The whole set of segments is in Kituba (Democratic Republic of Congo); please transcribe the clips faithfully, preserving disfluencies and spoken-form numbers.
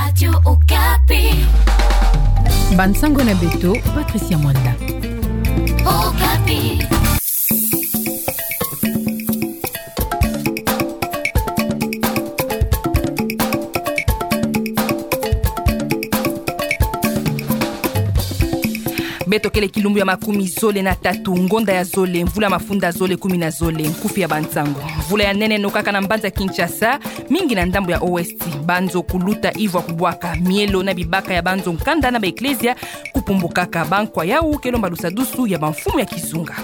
Radio Okapi. Bansango na beto, Patricia Mwanda. Okapi. Beto kele kilumbu ya makumi zole na tatu, ngonda ya zole, mvula mafunda zole kumi na zole, nkufi ya bansango. Mvula ya nene nokaka na mbanza Kinshasa, mingi na ndambu ya Ouest. Banzo kuluta ivwa kubwaka, mielo na bibaka ya banzo nkanda na ba eklezia kupumbukaka. Bankwa yau ke lomba lusadusu ya bamfumu ya kizunga.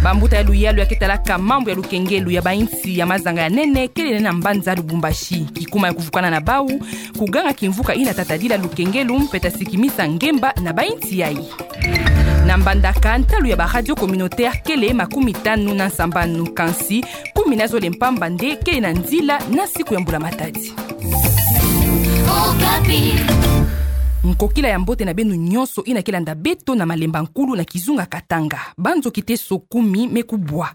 Bambuta ya luyalu ya ke talaka mambu ya lukengelu ya bainsi ya mazanga ya nene kele na mbanza Lubumbashi. Kikuma ya kuvukana na bau, kuganga kimvuka ina tatadila lukengelu mpe ta sikimisa ngemba na bainsi yai. Na Mbandaka, ntalu ya ba radio communautaire kele makumi tanu na nsambanu, kansi kumi na zole mpamba nde kele na nzila na siku ya mbula matadi. Okapi. Nkokila ya mbote na beno nyonso ina ke landa beto na malemba nkulu na kizunga Katanga. Banzo kiteso kumi me kubwa.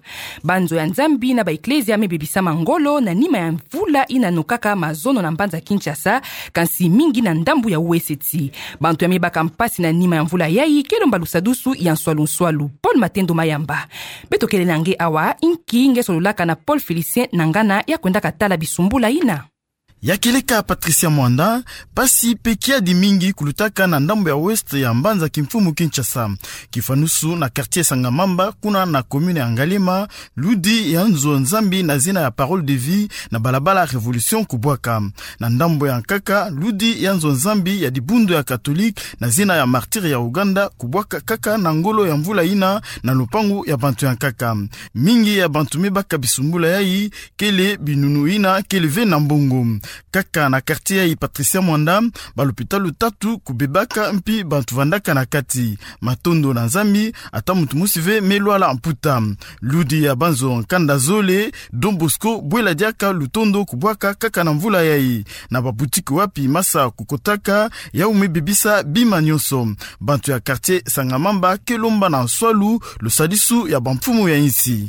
Banzo ya Nzambi na ba eklezia me bebisama ngolo na nima ya mvula ina nokaka mazono na mbanza Kinshasa, kansi mingi na ndambu ya Ouest. Bantu ya me baka mpasi na nima ya mvula yai ke lomba lusadusu ya nswalu nswalu. Paul Matendo Mayamba. Beto kele na nge awa, inki nge sololaka na Paul Félicien Nangana ya kwendaka tala bisumbula ina? Ya kieleka Patricia Mwanda, mpasi mpe kiadi mingi kulutaka na ndambu ya Ouest ya mbanza kimfumu Kinshasa. Kifanusu na quartier Sangamamba, kuna na commune ya Ngaliema, ludi ya nzo Nzambi na zina ya Parole de Vie na balabala Révolution kubwaka. Na ndambu ya nkaka, ludi ya nzo Nzambi ya dibundu ya Catholique na zina ya Martyrs ya Uganda kubwaka kaka na ngolo ya mvula ina na lupangu ya bantu ya nkaka. Mingi ya bantu me baka bisumbula yai kele binunu ina kele ve na mbongo. Kaka na quartier yai Patricia Mwanda, balopitalu tatu kubebaka mpi bantu vandaka na kati. Matondo na Nzambi, ata muntu mosi ve me lwala mputa. Ludi ya banzo nkanda zole, Don Bosco, bwela diaka lutondo kubwaka kaka na mvula yai. Na babutiki wapi masa kukotaka, yau me bebisa bima nyonso. Bantu ya quartier Sangamamba ke lomba na nswalu lusadisu ya bamfumu ya insi.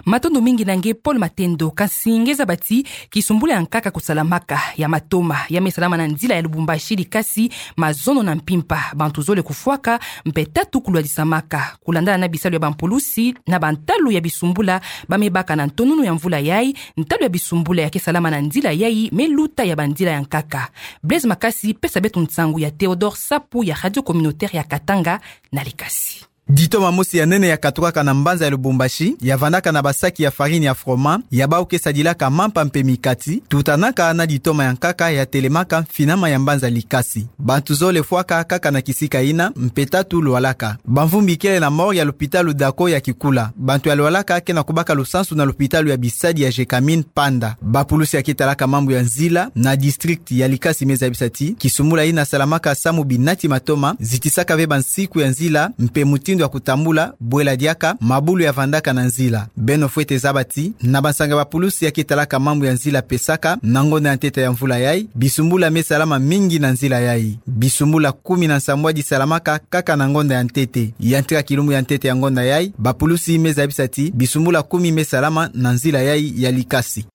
Matondo mingi na nge Paul Matendo. Kansi nge zaba ti kisumbula ya nkaka kusalamaka, ya matoma, ya me salama na nzila ya Lubumbashi, Likasi, mazono na mpimpa, bantu zole kufwaka, mpe tatu kulwadisamaka. Kulandana na bisalu ya bampulusi, na bantalu ya bisumbula ba me baka na ntonunu ya mvula yai, ntalu ya bisumbula ya ke salama na nzila yai me luta ya banzila ya nkaka. Blaise Makasi, pesa beto nsangu ya Théodore Sapu ya Radio Communautaire ya Katanga na Likasi. Ditoma mosi ya nene ya katukaka na mbanza ya Lubumbashi, ya vandaka na basaki ya farine ya froment, ya bau ke sadilaka mampa mpe mikati, tutanaka na ditoma ya nkaka ya telemaka mfinama ya mbanza Likasi. Bantu zole fwaka kaka na kisika ina, mpe tatu lwalaka. Bamvumbi kele na morgue ya lopitalu Dako ya Kikula. Bantu ya lwalaka ke na kubaka lusansu na lopitalu ya bisadi ya Gécamines Panda. Bapulusi ya ke talaka mambu ya nzila na district ya Likasi me zabisa ti kisumbula ina salamaka samu binati matoma, zitisaka ve bansiku ya nzila, mpe mutindu ya kutambula, bwela diaka mabulu ya vandaka na nzila. Beno fwete zaba ti, na bansanga bapulusi ya ke talaka mambu ya nzila pesaka, na ngonda ya ntete ya mvula yai, bisumbula me salama mingi na nzila yai. Bisumbula kumi na nsambwadi salamaka kaka na ngonda ya ntete. Ya ntika kilumbu ya ntete ya ngonda yai, bapulusi me zabisa ti bisumbula kumi me salama na nzila yai ya Likasi.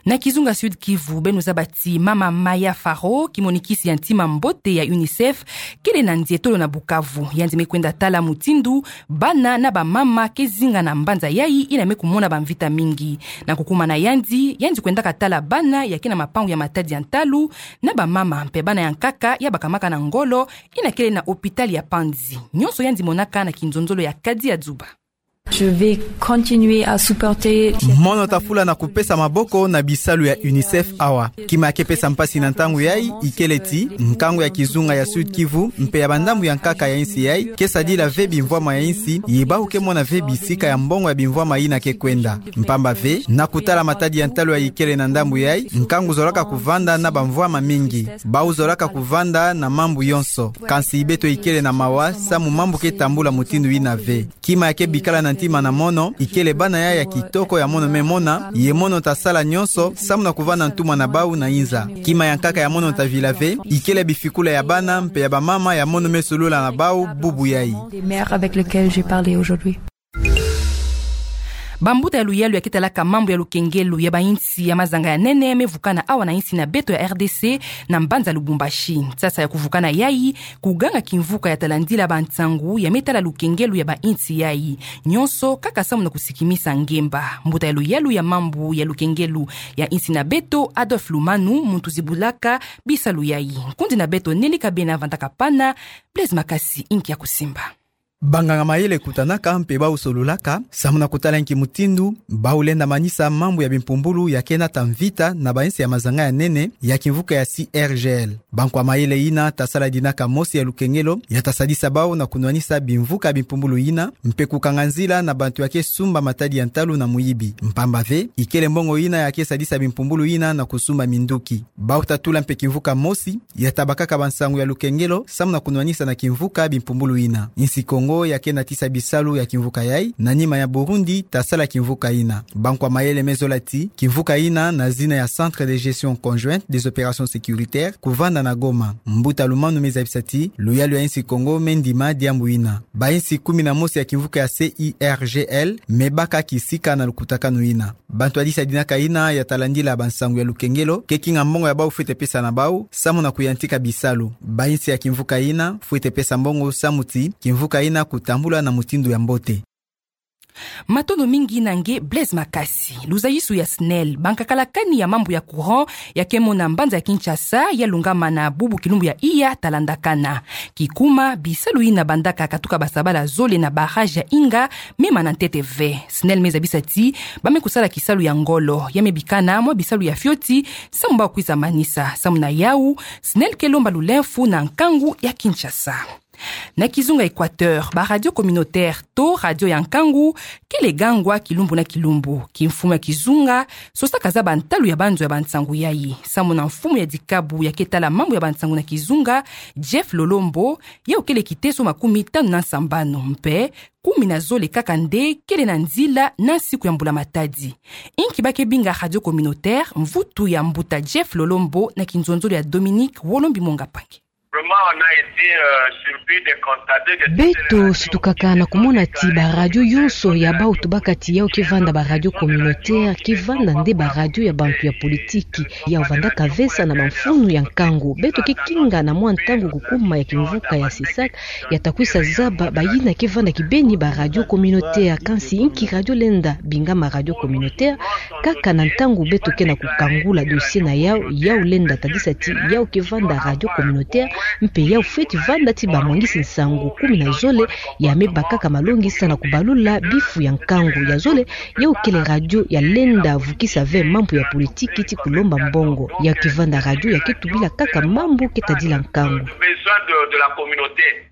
Na kizunga Sud-Kivu, beno zaba ti mama Maya Faro, kimonikisi ya ntima mbote ya UNICEF, kele na nzietolo na Bukavu. Yandi me kwenda tala mutindu bana na bamama ke zinga na mbanza yai ina me kumona bamvita mingi. Na kukuma na yandi, yandi kwendaka tala bana ya ke na mapangu ya matadi ya ntalu, na bamama mpe bana ya nkaka ya bakamaka na ngolo ina kele na hôpital ya Panzi. Nyonso yandi monaka na kinzonzolo ya Kadi ya Dzuba. Je vais continuer à supporter cette... Mono tafula na kupesa maboko na bisalu ya UNICEF awa. Kima ya ke pesa mpasi na ntangu yai, ikele ti nkangu ya kizunga ya Sud-Kivu mpe ya bandambu ya nkaka ya insi yai ke sadila ve bimvwama ya insi, ye bau ke mona ve bisika ya mbongo ya bimvwama ina ke kwenda. Mpamba ve, na kutala matadi ya ntalu ya ikele na ndambu yai, nkangu zolaka kuvanda na bamvwama mingi. Bau zolaka kuvanda na mambu yonso. Kansi beto ikele na mawa samu mambu ke tambula mutindu ina ve. Kima ya ke bikala na ntima na mono, ikele bana yai ya kitoko ya mono me mona, ye mono ta sala nyonso samu na kuvanda ntumwa na bau na inza. Kima ya nkaka ya mono ta vila ve, ikele bifikula ya bana mpe ya bamama ya mono me solola na bau bubu yai. Des mères avec lesquelles j'ai parlé aujourd'hui. Bambuta ya luyalu ya ke talaka mambu ya lukengelo ya bainsi ya mazanga ya nene me vukana awa na insi na beto ya R D C na mbanza Lubumbashi. Nsasa ya kuvukana yayi, kuganga kimvuka ya talandila bansangu ya me tala lukengelo ya bainsi yayi. Nyonso kaka samu na kusikimisa ngemba. Mbuta ya luyalu ya mambu ya lukengelo ya insi na beto, Adolphe Lumanu, muntu zibulaka bisalu yayi. Nkundi na beto Nelly Kabena vandaka pana, Blaise Makasi inki ya kusimba. Banganga mayele kutanaka mpe bau sololaka samu na kutala nki mutindu bau lenda manisa mambu ya bimpumbulu ya ke nata mvita na bainsi ya mazanga ya nene ya kimvuka ya C R G L. Bankwa mayele yina ta sala dinaka mosi ya lukengelo ya ta sadisa bau na kunwanisa bimvuka ya bimpumbulu yina, mpe kukanga nzila na bantu ya ke sumba matadi ya ntalu na muyibi. Mpamba ve, ikele mbongo yina ya ke sadisa bimpumbulu yina na kusumba minduki. Bau ta tula mpe kimvuka mosi ya ta bakaka bansangu ya lukengelo samu na kunwanisa na kimvuka bimpumbulu yina. Insi Kongo ya ke natisa bisalu ya kimvuka yayi, na nima ya Burundi ta sala kimvuka yina. Bankwa mayele me zola ti kimvuka yina na zina ya Centre de Gestion Conjointe des Opérations Sécuritaires kuvanda na Goma. Mbuta Lumanu me zabisa ti luyalu ya insi Kongo me ndima diambu yina. Bainsi kumi na mosi ya kimvuka ya C I R G L me baka kisika na lukutakanu yina. Bantu ya disa dinaka yina ya talandila bansangu ya lukengelo ke kinga mbongo ya bau fwete pesa na bau samu na kuyantika bisalu. Bainsi ya kimvuka yina fwete pesa mbongo samu ti kimvuka yina kutambula na mutindu ya mbote. Matondo mingi na nge Blaise Makasi. Luzayisu ya SNEL, bankakala kani ya mambu ya courant ya ke mona mbanza ya Kinshasa, ya lungama na bubu kilumbu ya iya talandakana. Kikuma, bisalu yina bandaka katuka basabala zole na barrage ya Inga me mana ntete ve. SNEL me zabisa ti ba me kusala kisalu ya ngolo, ya me bikana mwa bisalu ya fioti samu bau kwiza manisa. Samu na yau, SNEL ke lomba lulemfu na nkangu ya Kinshasa. Na kizunga Equateur, ba radio communautaire to radio ya nkangu kele gangwa kilumbu na kilumbu. Kimfumu ya kizunga sosaka zaba ntalu ya banzo ya bansangu yayi. Samu na mfumu ya dikabu ya ke tala mambu ya bansangu na kizunga, Jeff Lolombo, yau kele kiteso makumi tanu na nsambanu, mpe kumi na zole kaka nde kele na nzila na nsiku ya mbula matadi. Inki ba ke binga radio communautaire, mvutu ya mbuta Jeff Lolombo na kinzonzolo ya Dominique Wolombi Monga Pangi. Vraiment, on a été, euh, surpris de constater que beto sutukaka na kumona ti ba radio yonso ya bau tubaka ti yau ke vanda ba radio communautaire, ke vanda nde ba radio ya bantu ya politiki. Yau vandaka vesa na bamfunu ya nkangu. Beto ke kinga na mwa ntangu kukuma ya kimvuka ya CESAC, ya ta kwisa zaba bayina ke vanda kibeni ba radio communautaire. Kansi inki radio lenda bingama radio communautaire? Kaka na ntangu beto ke na kukangula dossier na yau, yau lenda tadisa ti yau ke vanda radio communautaire, mpe yau fweti vanda ti bamwangisi nsangu kumi na zole ya me bakaka malongi sa na kubalula bifu ya nkangu. Ya zole, yau kele radio ya lenda vukisa ve mambu ya politiki ti kulomba mbongo. Yau ke vanda radio ya ke tubila kaka mambu ke tadila nkangu. Besoin de, de la communauté.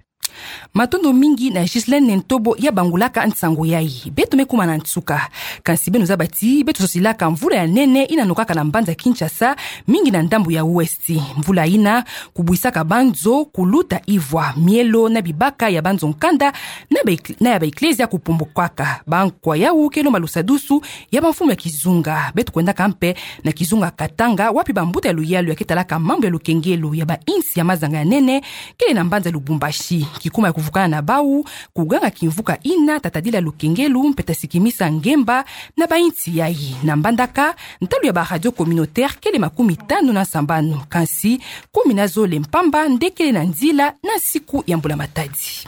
Matondo mingi na Ghislaine Ntobo ya bangulaka nsangu yayi. Beto me kuma na nsuka. Kansi beno zaba ti beto sosilaka mvula ya nene yina nokaka na mbanza Kinshasa, mingi na ndambu ya Ouest. Mvula yina kubwisaka banzo, kuluta ivwa, mielo na bibaka ya banzo nkanda, na ba ek-, na ya ba eklezia kupumbukaka. Bankwa yau ke lomba lusadusu ya bamfumu ya kizunga. Beto kwendaka mpe na kizunga Katanga, wapi bambuta ya luyalu ya ke talaka mambu ya lukengelo ya bainsi ya mazanga ya nene kele na mbanza Lubumbashi. Kikuma ya kuvukana na bau, kuganga kimvuka yina ta tadila lukengelo mpe ta sikimisa ngemba na bainsi yayi. Na mbandaka, ntalu ya ba radio communautaire kele makumi tanu na nsambanu, kansi kumi na zole mpamba nde kele na nzila na nsiku ya mbula matadi.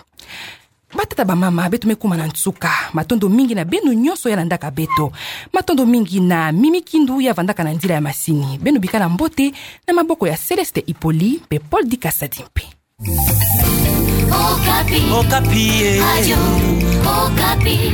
Batata, bamama, beto me kuma na nsuka. Matondo mingi na beno nyonso ya landaka beto. Matondo mingi na Mimi Kindu ya vandaka na nzila ya masini. Beno bikana mbote na maboko ya Céleste Hippolyte mpe Paul Dikasa Dimpe. Okapi. Okapi, eh. Radio Okapi.